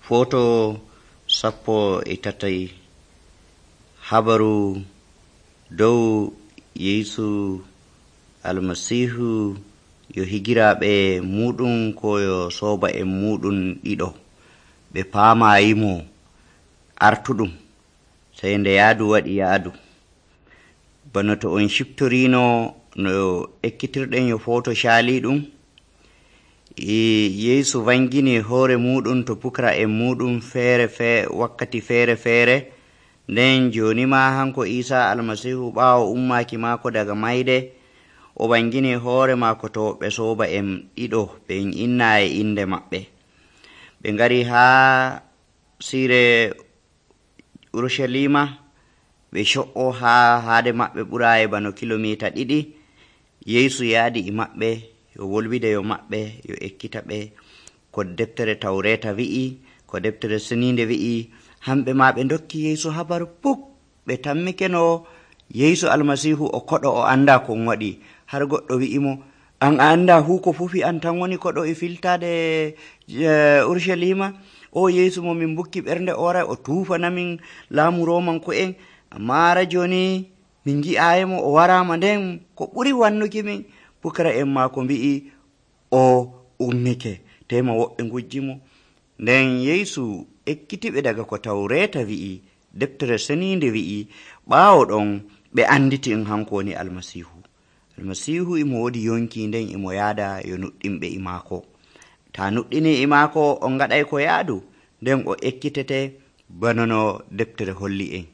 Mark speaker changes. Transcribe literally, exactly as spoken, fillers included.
Speaker 1: Foto sappo e tatai habaru dow Yesu almasihu yo higiraɓe muɗum ko yo soba en muɗum ɗiɗo ɓe pamayimo artuɗum sai nde yaadu waɗi yaadu. Bano to on shiftorino no ekkitirɗen yo foto shaliɗum, e Yesu vangini hoore muɗum to pukra en muɗum feere fe wakkati feere feere. Nden joni ma hanko Isa almasihu ɓaawo ummaki maako daga mayde o vangini hoore maako to ɓe soba en ɗiɗo ɓen inna e inde maɓɓe. Ɓe ngari ha sire Urushalima ɓe co'o ha haade maɓɓe ɓurayi bano kilomita ɗiɗi. Yesu yaadi e maɓɓe yo wolwide yo maɓɓe yo ekkita ɓe ko deftere Tawreta wi'i, ko deftere seninde wi'i. Hamɓe ma ɓe dokki Yesu habaru puk, ɓe tammikeno Yesu almasihu o koɗo o anda kon waɗi. Har goɗɗo wi'imo, an a anda hu ko fufi an tan woni koɗo e filtade Urushalima? O Yesu mo min bukki ɓernde o waray o tufanamin laamu Romanko en, amma ara joni min gi'ayimo o warama, nden ko ɓuri wannuki min pukara en ma ko mbi'i o ummike, tema woɓɓe ngujjimo. Nden Yesu ekkitiɓe daga ko Tawreta wi'i, deftere seninde wi'i. Ɓaawo ɗon ɓe anditi en hanko woni almasihu. Almasihu imo wodi yonki, nden imo yaada yo nuɗɗinɓe e maako. Ta nuɗɗini e maako on gaɗay ko yaadu, nden o ekkitete bano no deftere holli en.